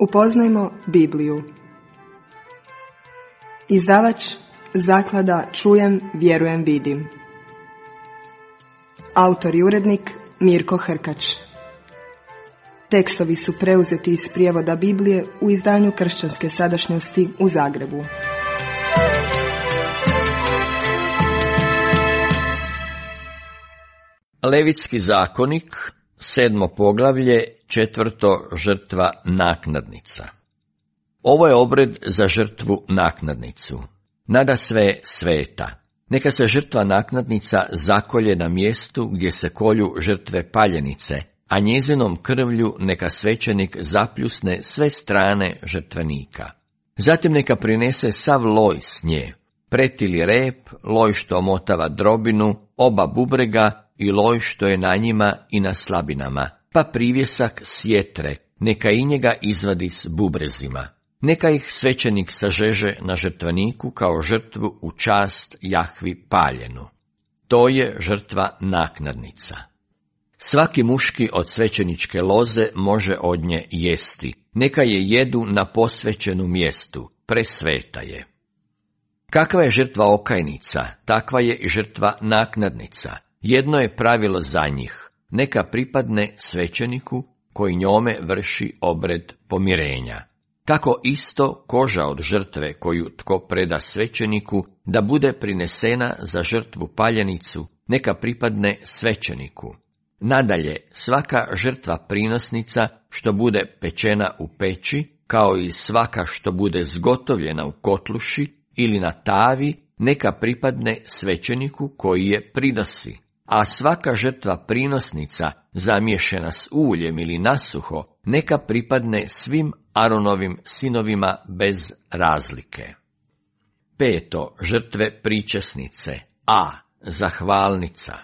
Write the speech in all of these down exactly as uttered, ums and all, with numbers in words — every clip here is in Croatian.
Upoznajmo Bibliju. Izdavač Zaklada Čujem, vjerujem, vidim. Autor i urednik Mirko Hrkač. Tekstovi su preuzeti iz prijevoda Biblije u izdanju Kršćanske sadašnjosti u Zagrebu. Levitski zakonik, sedmo poglavlje, četvrto žrtva naknadnica. Ovo je obred za žrtvu naknadnicu. Nadasve sveta. Neka se žrtva naknadnica zakolje na mjestu gdje se kolju žrtve paljenice, a njezinom krvlju neka svećenik zapljusne sve strane žrtvenika. Zatim neka prinese sav loj s nje, pretili rep, loj što omotava drobinu, oba bubrega i loj što je na njima i na slabinama, pa privjesak sjetre, neka i njega izvadi s bubrezima. Neka ih svećenik sažeže na žrtveniku kao žrtvu u čast Jahvi paljenu. To je žrtva naknadnica. Svaki muški od svećeničke loze može od nje jesti. Neka je jedu na posvećenu mjestu, presveta je. Kakva je žrtva okajnica, takva je i žrtva naknadnica. Jedno je pravilo za njih, neka pripadne svećeniku koji njome vrši obred pomirenja. Tako isto koža od žrtve koju tko preda svećeniku da bude prinesena za žrtvu paljenicu, neka pripadne svećeniku. Nadalje, svaka žrtva prinosnica što bude pečena u peći, kao i svaka što bude zgotovljena u kotluši ili na tavi, neka pripadne svećeniku koji je prinosi. A svaka žrtva prinosnica, zamiješena s uljem ili nasuho, neka pripadne svim Aronovim sinovima bez razlike. Peto, žrtve pričesnice. A. Zahvalnica.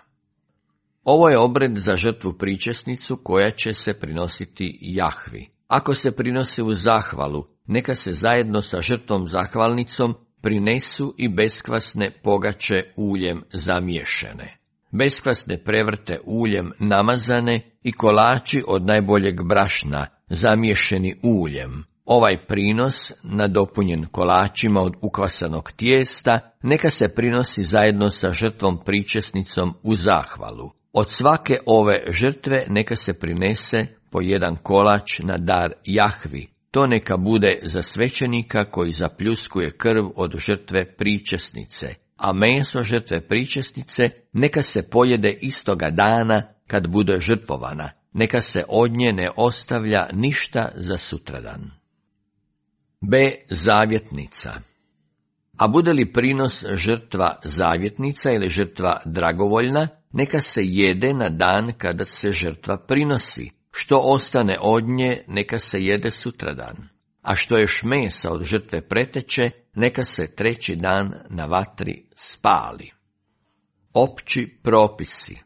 Ovo je obred za žrtvu pričesnicu koja će se prinositi Jahvi. Ako se prinosi u zahvalu, neka se zajedno sa žrtvom zahvalnicom prinesu i beskvasne pogače uljem zamiješene. Beskvasne prevrte uljem namazane i kolači od najboljeg brašna, zamiješeni uljem. Ovaj prinos, nadopunjen kolačima od ukvasanog tijesta, neka se prinosi zajedno sa žrtvom pričesnicom u zahvalu. Od svake ove žrtve neka se prinese po jedan kolač na dar Jahvi. To neka bude za svećenika koji zapljuskuje krv od žrtve pričesnice, a meso žrtve pričesnice neka se pojede istoga dana kad bude žrtvovana. Neka se od nje ne ostavlja ništa za sutradan. B. Zavjetnica. A bude li prinos žrtva zavjetnica ili žrtva dragovoljna, neka se jede na dan kada se žrtva prinosi. Što ostane od nje, neka se jede sutradan. A što je šmesa od žrtve preteče, neka se treći dan na vatri spali. Opći propisi.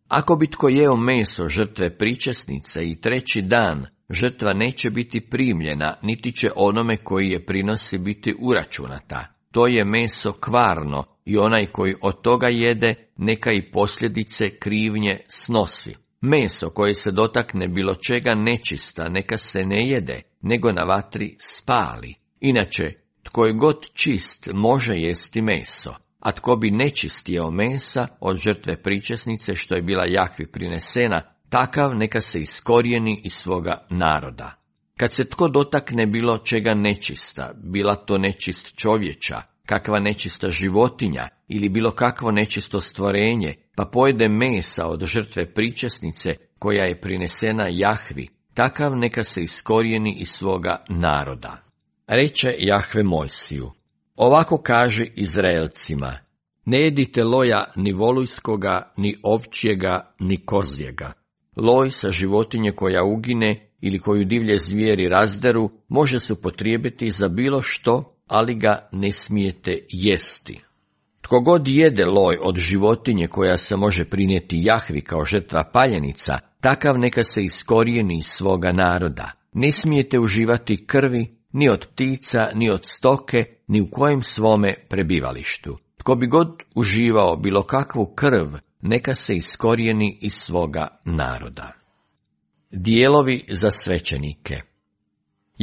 Ako bi tko jeo meso žrtve pričesnice i treći dan, žrtva neće biti primljena, niti će onome koji je prinosi biti uračunata. To je meso kvarno i onaj koji od toga jede, neka i posljedice krivnje snosi. Meso koje se dotakne bilo čega nečista, neka se ne jede, nego na vatri spali. Inače, tko je god čist može jesti meso, a tko bi nečist jeo mesa od žrtve pričesnice što je bila Jahvi prinesena, takav neka se iskorijeni iz svoga naroda. Kad se tko dotakne bilo čega nečista, bila to nečist čovječa, kakva nečista životinja ili bilo kakvo nečisto stvorenje, pa pojede mesa od žrtve pričesnice koja je prinesena Jahvi, takav neka se iskorijeni iz svoga naroda. Reče Jahve Mojsiju: ovako kaži Izraelcima, ne jedite loja ni volujskoga, ni ovčjega, ni kozjega. Loj sa životinje koja ugine ili koju divlje zvijeri razderu može se upotrijebiti za bilo što, ali ga ne smijete jesti. Tko god jede loj od životinje koja se može prinijeti Jahvi kao žrtva paljenica, takav neka se iskorijeni iz svoga naroda. Ne smijete uživati krvi ni od ptica, ni od stoke, ni u kojem svome prebivalištu. Tko bi god uživao bilo kakvu krv, neka se iskorijeni iz svoga naroda. Dijelovi za svećenike.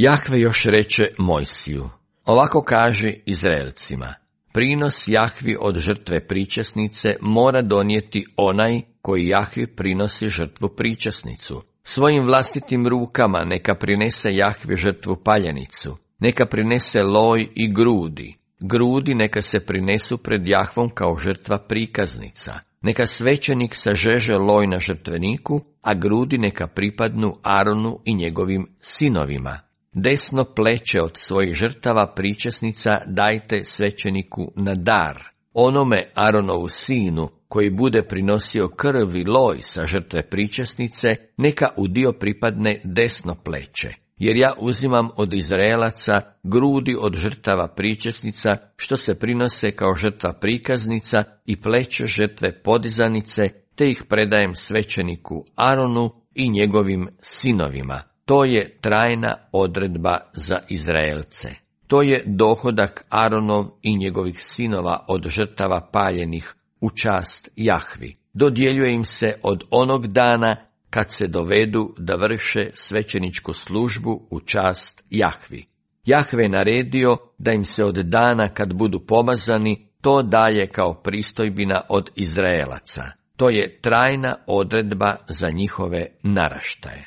Jahve još reče Mojsiju, ovako kaži Izraelcima, prinos Jahvi od žrtve pričesnice mora donijeti onaj koji Jahvi prinosi žrtvu pričesnicu. Svojim vlastitim rukama neka prinese Jahvi žrtvu paljenicu, neka prinese loj i grudi. Grudi neka se prinesu pred Jahvom kao žrtva prikaznica. Neka svećenik sažeže loj na žrtveniku, a grudi neka pripadnu Aronu i njegovim sinovima. Desno pleće od svojih žrtava pričesnica dajte svećeniku na dar. Onome Aronovu sinu, koji bude prinosio krv i loj sa žrtve pričesnice, neka u dio pripadne desno pleće. Jer ja uzimam od Izraelaca grudi od žrtava pričesnica, što se prinose kao žrtva prikaznica, i pleće žrtve podizanice, te ih predajem svećeniku Aronu i njegovim sinovima. To je trajna odredba za Izraelce. To je dohodak Aronov i njegovih sinova od žrtava paljenih u čast Jahvi. Dodjeljuje im se od onog dana kad se dovedu da vrše svećeničku službu u čast Jahvi. Jahve je naredio da im se od dana kad budu pomazani to daje kao pristojbina od Izraelaca. To je trajna odredba za njihove naraštaje.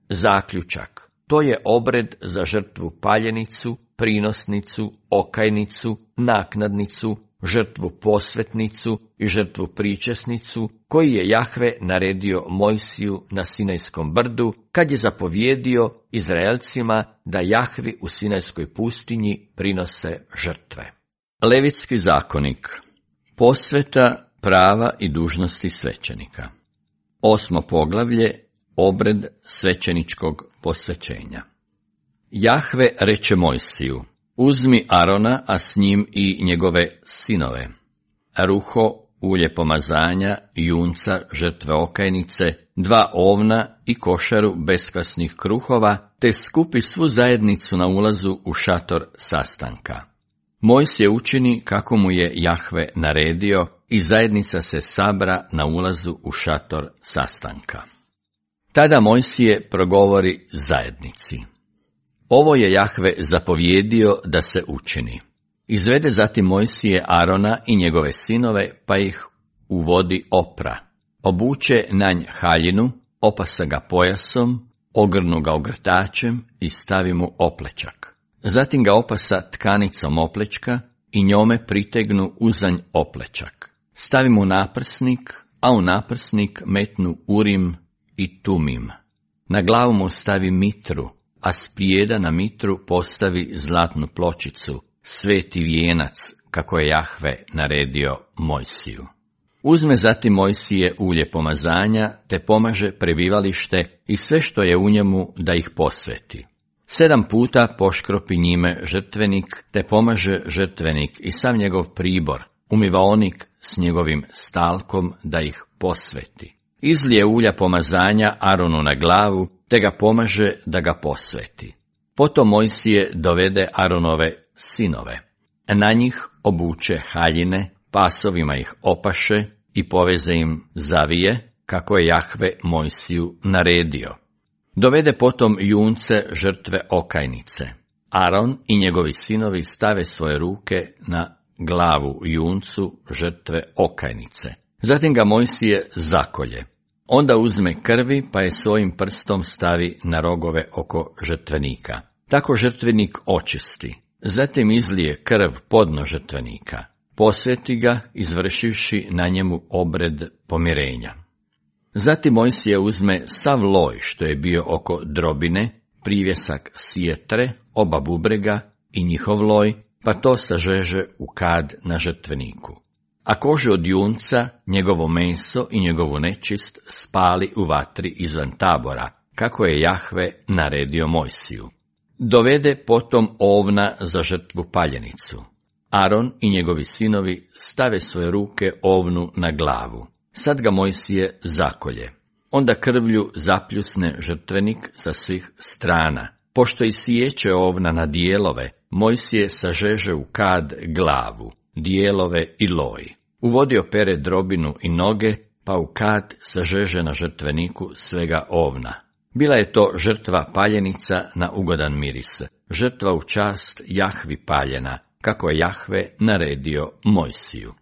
Zaključak. To je obred za žrtvu paljenicu, prinosnicu, okajnicu, naknadnicu, žrtvu posvetnicu i žrtvu pričesnicu, koji je Jahve naredio Mojsiju na Sinajskom brdu, kad je zapovjedio Izraelcima da Jahvi u Sinajskoj pustinji prinose žrtve. Levitski zakonik. Posveta, prava i dužnosti svećenika. Osmo poglavlje. Obred svećeničkog posvećenja. Jahve reče Mojsiju, uzmi Arona, a s njim i njegove sinove, ruho, ulje pomazanja, junca, žrtve okajnice, dva ovna i košaru beskvasnih kruhova, te skupi svu zajednicu na ulazu u šator sastanka. Mojsije učini kako mu je Jahve naredio i zajednica se sabra na ulazu u šator sastanka. Tada Mojsije progovori zajednici. Ovo je Jahve zapovjedio da se učini. Izvede zatim Mojsije Arona i njegove sinove, pa ih u vodi opra. Obuče na nj haljinu, opasa ga pojasom, ogrnu ga ogrtačem i stavi mu oplečak. Zatim ga opasa tkanicom oplečka i njome pritegnu uzanj oplečak. Stavi mu naprsnik, a u naprsnik metnu urim i tumim. Na glavu mu stavi mitru, a s prijeda na mitru postavi zlatnu pločicu, sveti vijenac, kako je Jahve naredio Mojsiju. Uzme zatim Mojsije ulje pomazanja, te pomaže prebivalište i sve što je u njemu da ih posveti. Sedam puta poškropi njime žrtvenik, te pomaže žrtvenik i sam njegov pribor, umivaonik s njegovim stalkom da ih posveti. Izlije ulja pomazanja Aronu na glavu, te ga pomaže da ga posveti. Potom Mojsije dovede Aronove sinove. Na njih obuče haljine, pasovima ih opaše i poveze im zavije, kako je Jahve Mojsiju naredio. Dovede potom junce žrtve okajnice. Aron i njegovi sinovi stave svoje ruke na glavu juncu žrtve okajnice. Zatim ga Mojsije zakolje. Onda uzme krvi, pa je svojim prstom stavi na rogove oko žrtvenika. Tako žrtvenik očisti. Zatim izlije krv podno žrtvenika. Posveti ga, izvršivši na njemu obred pomirenja. Zatim Mojsije uzme sav loj što je bio oko drobine, privjesak sjetre, oba bubrega i njihov loj, pa to sažeže u kad na žrtveniku. A kožu od junca, njegovo meso i njegovu nečist spali u vatri izvan tabora, kako je Jahve naredio Mojsiju. Dovede potom ovna za žrtvu paljenicu. Aron i njegovi sinovi stave svoje ruke ovnu na glavu. Sad ga Mojsije zakolje. Onda krvlju zapljusne žrtvenik sa svih strana. Pošto i siječe ovna na dijelove, Mojsije sažeže u kad glavu, dijelove i loj. U vodi opere drobinu i noge, pa u kad sažeže na žrtveniku svega ovna. Bila je to žrtva paljenica na ugodan miris, žrtva u čast Jahvi paljena, kako je Jahve naredio Mojsiju.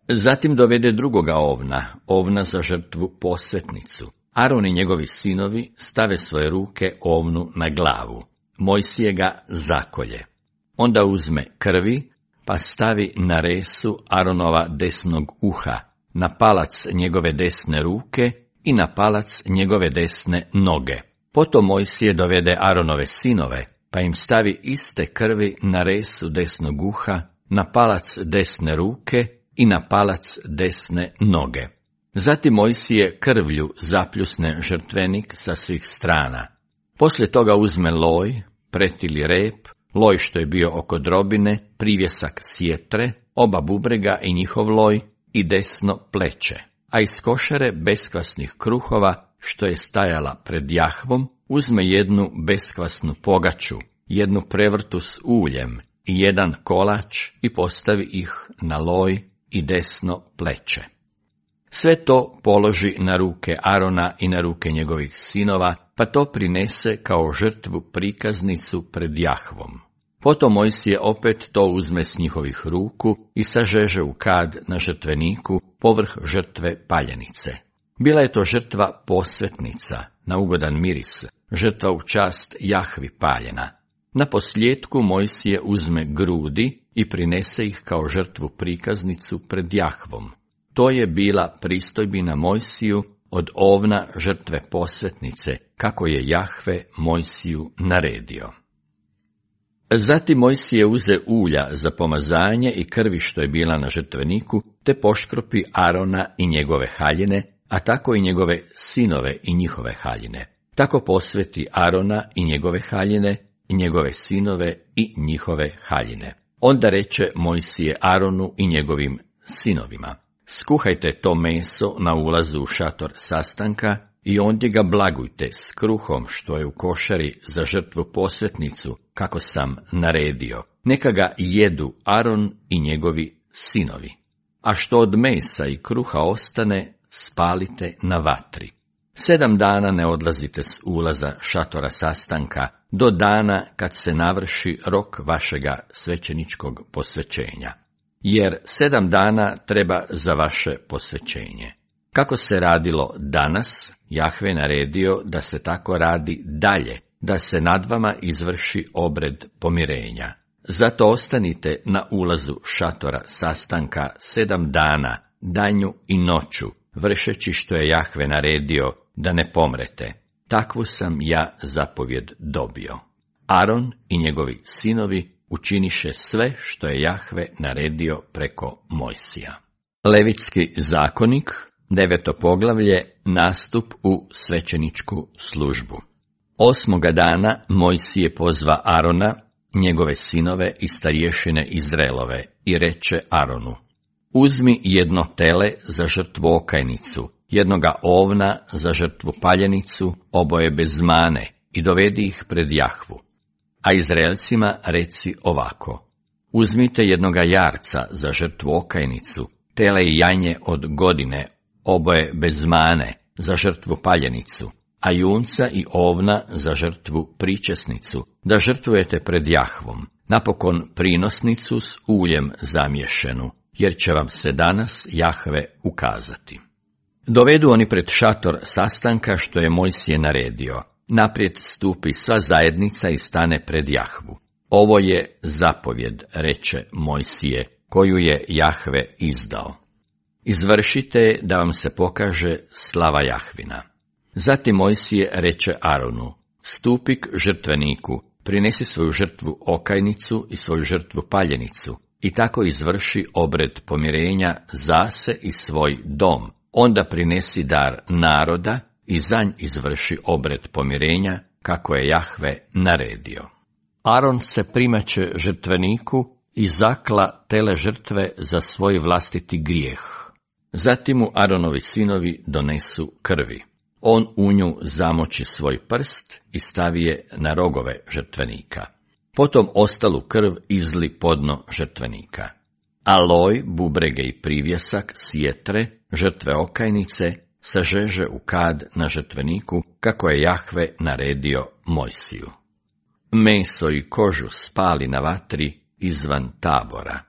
Zatim dovede drugoga ovna, ovna za žrtvu posvetnicu. Aron i njegovi sinovi stave svoje ruke ovnu na glavu. Mojsije ga zakolje. Onda uzme krvi, pa stavi na resu Aronova desnog uha, na palac njegove desne ruke i na palac njegove desne noge. Potom Mojsije dovede Aronove sinove, pa im stavi iste krvi na resu desnog uha, na palac desne ruke i na palac desne noge. Zatim Mojsije krvlju zapljusne žrtvenik sa svih strana. Poslije toga uzme loj, pretili rep, loj što je bio oko drobine, privjesak sjetre, oba bubrega i njihov loj i desno pleće. A iz košare beskvasnih kruhova, što je stajala pred Jahvom, uzme jednu beskvasnu pogaču, jednu prevrtu s uljem i jedan kolač i postavi ih na loj i desno pleće. Sve to položi na ruke Arona i na ruke njegovih sinova, pa to prinese kao žrtvu prikaznicu pred Jahvom. Potom Mojsije opet to uzme s njihovih ruku i sažeže u kad na žrtveniku povrh žrtve paljenice. Bila je to žrtva posvetnica, na ugodan miris, žrtva u čast Jahvi paljena. Na posljetku Mojsije uzme grudi i prinese ih kao žrtvu prikaznicu pred Jahvom. To je bila pristojbina Mojsiju od ovna žrtve posvetnice, kako je Jahve Mojsiju naredio. Zatim Mojsije uze ulja za pomazanje i krvi što je bila na žrtveniku, te poškropi Arona i njegove haljine, a tako i njegove sinove i njihove haljine. Tako posveti Arona i njegove haljine, i njegove sinove i njihove haljine. Onda reče Mojsije Aronu i njegovim sinovima: skuhajte to meso na ulazu u šator sastanka i ondje ga blagujte s kruhom što je u košari za žrtvu posvetnicu, kako sam naredio. Neka ga jedu Aron i njegovi sinovi. A što od mesa i kruha ostane, spalite na vatri. Sedam dana ne odlazite s ulaza šatora sastanka, do dana kad se navrši rok vašega svećeničkog posvećenja. Jer sedam dana treba za vaše posvećenje. Kako se radilo danas, Jahve naredio da se tako radi dalje, da se nad vama izvrši obred pomirenja. Zato ostanite na ulazu šatora sastanka sedam dana, danju i noću, vršeći što je Jahve naredio, da ne pomrete. Takvu sam ja zapovjed dobio. Aron i njegovi sinovi učiniše sve što je Jahve naredio preko Mojsija. Levitski zakonik, deveto poglavlje, nastup u svećeničku službu. Osmoga dana Mojsije pozva Arona, njegove sinove i starješine Izraelove i reče Aronu: uzmi jedno tele za žrtvu okajnicu, jednoga ovna za žrtvu paljenicu, oboje bez mane, i dovedi ih pred Jahvu. A Izraelcima reci ovako: uzmite jednoga jarca za žrtvu okajnicu, tele i janje od godine, oboje bez mane, za žrtvu paljenicu, a junca i ovna za žrtvu pričesnicu, da žrtvujete pred Jahvom, napokon prinosnicu s uljem zamješenu, jer će vam se danas Jahve ukazati. Dovedu oni pred šator sastanka što je Mojsije naredio. Naprijed stupi sva zajednica i stane pred Jahvu. Ovo je zapovjed, reče Mojsije, koju je Jahve izdao. Izvršite da vam se pokaže slava Jahvina. Zatim Mojsije reče Aronu: stupi k žrtveniku, prinesi svoju žrtvu okajnicu i svoju žrtvu paljenicu, i tako izvrši obred pomirenja za se i svoj dom. Onda prinesi dar naroda i za nj izvrši obred pomirenja, kako je Jahve naredio. Aron se primaće žrtveniku i zakla tele žrtve za svoj vlastiti grijeh. Zatim mu Aronovi sinovi donesu krvi. On u nju zamoči svoj prst i stavi je na rogove žrtvenika. Potom ostalu krv izli podno žrtvenika. A loj, bubrege i privjesak sjetre, žrtve okajnice, sažeže u kad na žrtveniku, kako je Jahve naredio Mojsiju. Meso i kožu spali na vatri izvan tabora.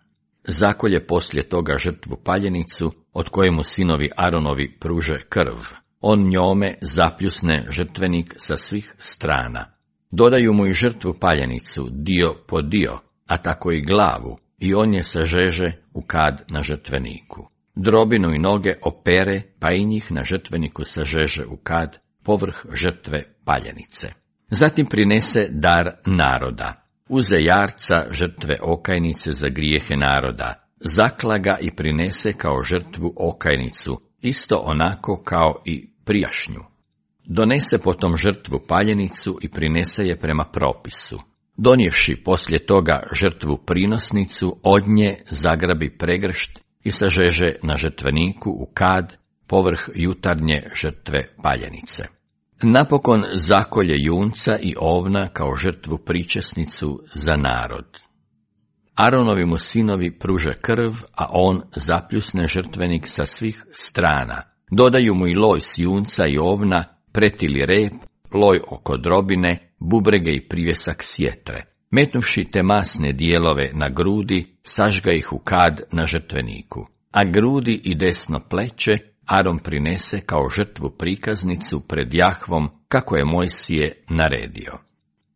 Zakolje poslije toga žrtvu paljenicu, od kojemu sinovi Aronovi pruže krv. On njome zapljusne žrtvenik sa svih strana. Dodaju mu i žrtvu paljenicu, dio po dio, a tako i glavu, i on je sažeže u kad na žrtveniku. Drobinu i noge opere, pa i njih na žrtveniku sažeže u kad, povrh žrtve paljenice. Zatim prinese dar naroda. Uze jarca žrtve okajnice za grijehe naroda, zakla ga i prinese kao žrtvu okajnicu, isto onako kao i prijašnju. Donese potom žrtvu paljenicu i prinese je prema propisu. Donijevši poslije toga žrtvu prinosnicu, od nje zagrabi pregršt i sažeže na žrtveniku u kad, povrh jutarnje žrtve paljenice. Napokon zakolje junca i ovna kao žrtvu pričesnicu za narod. Aronovi mu sinovi pruže krv, a on zapljusne žrtvenik sa svih strana. Dodaju mu i loj s junca i ovna, pretili rep, loj oko drobine, bubrege i privjesak sjetre. Metnuvši te masne dijelove na grudi, sažga ih u kad na žrtveniku. A grudi i desno pleće Aron prinese kao žrtvu prikaznicu pred Jahvom, kako je Mojsije naredio.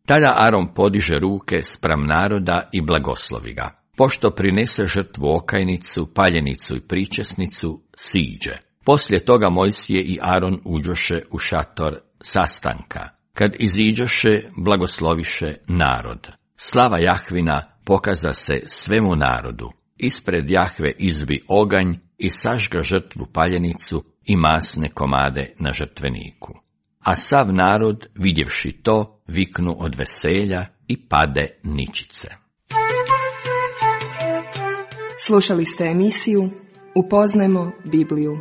Tada Aron podiže ruke spram naroda i blagoslovi ga. Pošto prinese žrtvu okajnicu, paljenicu i pričesnicu, siđe. Poslije toga Mojsije i Aron uđoše u šator sastanka. Kad iziđoše, blagosloviše narod. Slava Jahvina pokaza se svemu narodu. Ispred Jahve izbi oganj i sažga žrtvu paljenicu i masne komade na žrtveniku. A sav narod, vidjevši to, viknu od veselja i pade ničice. Slušali ste emisiju Upoznajmo Bibliju.